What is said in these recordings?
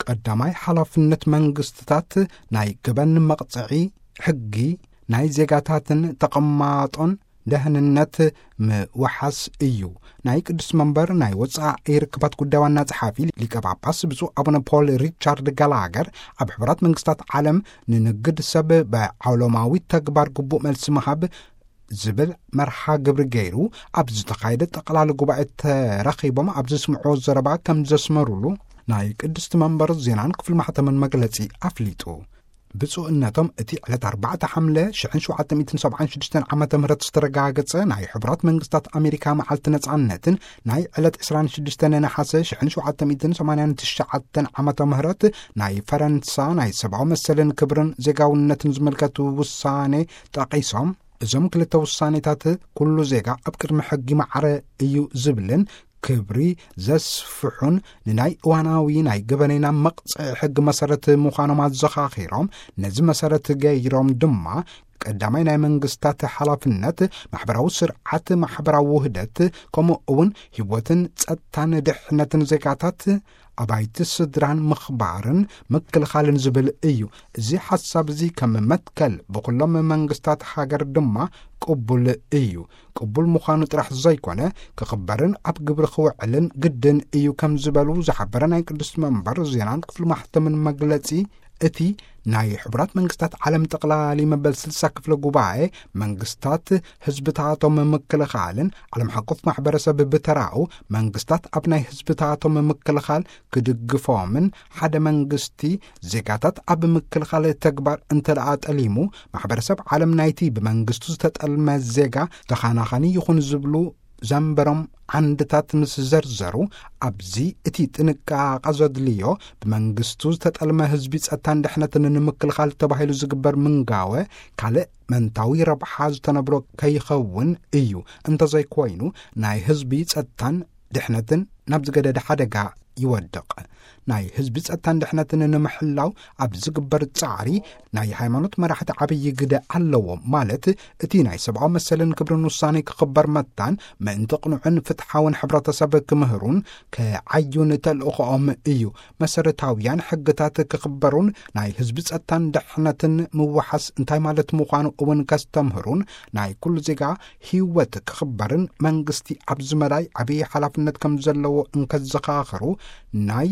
ቀዳማይ ሓላፍነት መንግስትታት ናይ ገበን መቕጽዒ ሕጊ ናይ ዜጋታትን ተቐማጦን ደህንነት ምውሓስ እዩ። ናይ ቅዱስ መንበር ናይ ወጻኢ ርክባት ጉዳይ ዋና ጸሓፊ ሊቀ ጳጳስ ብፁዕ ኣቡነ ፖል ሪቻርድ ጋላገር ኣብ ሕቡራት መንግስታት ዓለም ንንግድ ሰብ ብዓለማዊ ተግባር ግቡእ መልሲ ምሃብ ዝብል መርሓ ግብሪ ገይሩ ኣብ ዝተኻየደ ጠቕላሊ ጉባኤ ተረኺቦም ኣብ ዘስምዕዎ ዘረባ ከም ዘስመሩሉ ናይ ቅድስቲ መንበር ዜናን ክፍሊ ማሕተምን መግለጺ ኣፍሊጡ። ብፁዕነቶም እቲ ዕለት ኣርባዕተ ሓምለ ሽሕን ሸውዓተ ሚእትን ሰብዓን ሽዱሽተን ዓመተ ምህረት ዝተረጋገጸ ናይ ሕቡራት መንግስታት ኣሜሪካ መዓልቲ ነጻነትን ናይ ዕለት ዕስራን ሽዱሽተን ነሓሰ ሽሕን ሸውዓተ ሚእትን ሰማንያን ትሽዓተን ዓመተ ምህረት ናይ ፈረንሳ ናይ ሰብኣዊ መሰልን ክብርን ዜጋውነትን ዝምልከቱ ውሳኔ ጠቒሶም፣ እዞም ክልተ ውሳኔታት ኩሉ ዜጋ ኣብ ቅድሚ ሕጊ ማዕረ እዩ ዝብልን ክብሪ ዘስፍሑን ንናይ እዋናዊ ናይ ገበነይና መቕጽዒ ሕጊ መሰረት ምዃኖም ኣዘኻኺሮም፣ ነዚ መሰረት ገይሮም ድማ ቀዳማይ ናይ መንግስታት ሓላፍነት ማሕበራዊ ስርዓት፣ ማሕበራዊ ውህደት፣ ከምኡ እውን ህይወትን ጸጥታን ድሕነትን ዜጋታት ኣባይቲ ስድራን ምኽባርን ምክልኻልን ዝብል እዩ። እዚ ሓሳብ እዚ ከም መትከል ብኹሎም መንግስታት ሃገር ድማ ቅቡል እዩ። ቅቡል ምዃኑ ጥራሕ ዘይኮነ፣ ክኽበርን ኣብ ግብሪ ክውዕልን ግድን እዩ ከም ዝበሉ ዝሓበረ ናይ ቅድስቲ መንበር ዜናን ክፍሊ ማሕተምን መግለጺ፣ እቲ ናይ ሕቡራት መንግስታት ዓለም ጠቕላሊ መበል ስልሳ ክፍለ ጉባኤ መንግስታት ህዝብታቶም ምክልኻልን ዓለም ሓቆፍ ማሕበረሰብ ብተራኡ መንግስታት ኣብ ናይ ህዝብታቶም ምክልኻል ክድግፎምን ሓደ መንግስቲ ዜጋታት ኣብ ምክልኻል ተግባር እንተ ደኣ ጠሊሙ ማሕበረሰብ ዓለም ናይቲ ብመንግስቱ ዝተጠልመ ዜጋ ተኻናኻኒ ይኹን ዝብሉ ዘንበሮም ዓንድታት ምስ ዘርዘሩ፣ ኣብዚ እቲ ጥንቃቐ ዘድልዮ ብመንግስቱ ዝተጠልመ ህዝቢ ጸጥታን ድሕነትን ንምክልኻል ተባሂሉ ዝግበር ምንጋወ ካልእ መንታዊ ረብሓ ዝተነብሮ ከይኸውን እዩ። እንተዘይኮይኑ ናይ ህዝቢ ጸጥታን ድሕነትን ናብ ዝገደደ ሓደጋ ይወድቕ። ናይ ህዝቢ ጸጥታን ድሕነትን ንምሕላው ኣብ ዝግበር ጻዕሪ ናይ ሃይማኖት መራሕቲ ዓብዪ ግደ ኣለዎም። ማለት እቲ ናይ ሰብኣዊ መሰልን ክብርን ውሳኔ ክኽበር መታን ምእንቲ ቅኑዕን ፍትሓውን ሕብረተሰብ ክምህሩን ክዓዩን ተልእኾኦም እዩ። መሰረታውያን ሕግታት ክኽበሩን ናይ ህዝቢ ጸጥታን ድሕነትን ምውሓስ እንታይ ማለት ምዃኑ እውን ከስተምህሩን ናይ ኩሉ ዜጋ ህይወት ክኽበርን መንግስቲ ኣብዚ መዳይ ዓብዪ ሓላፍነት ከም ዘለዎ እንከዘኻኽሩ ናይ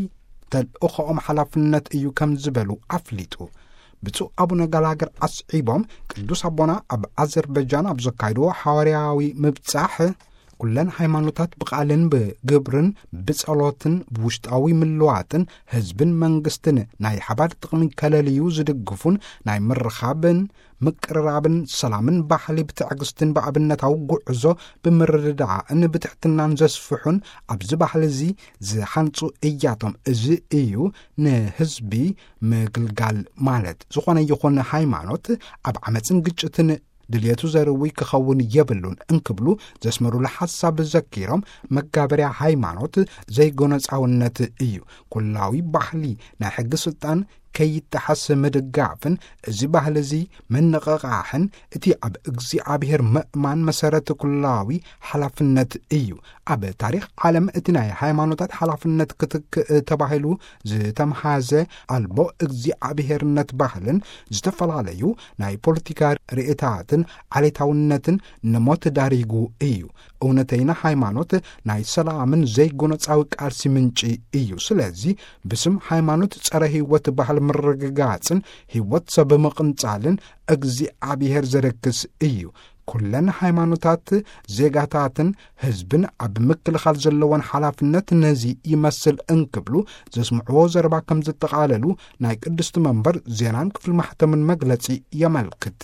ተልእኾኦም ሓላፍነት እዩ ከም ዝበሉ ኣፍሊጡ። ብፁዕ ኣቡነ ጋላገር ኣስዒቦም ቅዱስ ኣቦና ኣብ ኣዘርበጃን ኣብ ዘካይድዎ ሓዋርያዊ ምብጻሕ ኩለን ሃይማኖታት ብቓልን ብግብርን ብጸሎትን ብውሽጣዊ ምልዋጥን ህዝብን መንግስትን ናይ ሓባር ጥቕሚ ከለልዩ ዝድግፉን ናይ ምርኻብን ምቅርራብን ሰላምን ባህሊ ብትዕግስትን ብኣብነታዊ ጉዕዞ ብምርድዳእን ብትሕትናን ዘስፍሑን ኣብዚ ባህሊ እዚ ዝሃንጹ እያቶም። እዚ እዩ ንህዝቢ ምግልጋል ማለት። ዝኾነ ይኹን ሃይማኖት ኣብ ዓመፅን ግጭትን ድልየቱ ዘርዊ ክኸውን የብሉን እንክብሉ ዘስመሩሉ ሓሳብ ዘኪሮም፣ መጋበርያ ሃይማኖት ዘይጎነፃውነት እዩ። ኩላዊ ባህሊ ናይ ሕጊ ስልጣን ከይጠሓስ ምድጋፍን እዚ ባህሊ እዚ ምንቕቓሕን እቲ ኣብ እግዚኣብሔር ምእማን መሰረት ኩላዊ ሓላፍነት እዩ። ኣብ ታሪኽ ዓለም እቲ ናይ ሃይማኖታት ሓላፍነት ክትክእ ተባሂሉ ዝተምሃዘ ኣልቦ እግዚኣብሔርነት ባህልን ዝተፈላለዩ ናይ ፖለቲካ ርእታትን ዓሌታውነትን ንሞት ዳሪጉ እዩ። እውነተይና ሃይማኖት ናይ ሰላምን ዘይጎነጻዊ ቃልሲ ምንጪ እዩ። ስለዚ ብስም ሃይማኖት ጸረ ህይወት ባህል ምርግጋጽን ህይወት ሰብ ምቕንጻልን እግዚኣብሔር ዘረክስ እዩ። ኩለን ሃይማኖታት ዜጋታትን ህዝብን ኣብ ምክልኻል ዘለወን ሓላፍነት ነዚ ይመስል እንክብሉ ዘስምዕዎ ዘረባ ከም ዘጠቓለሉ ናይ ቅድስቲ መንበር ዜናን ክፍሊ ማሕተምን መግለጺ የመልክት።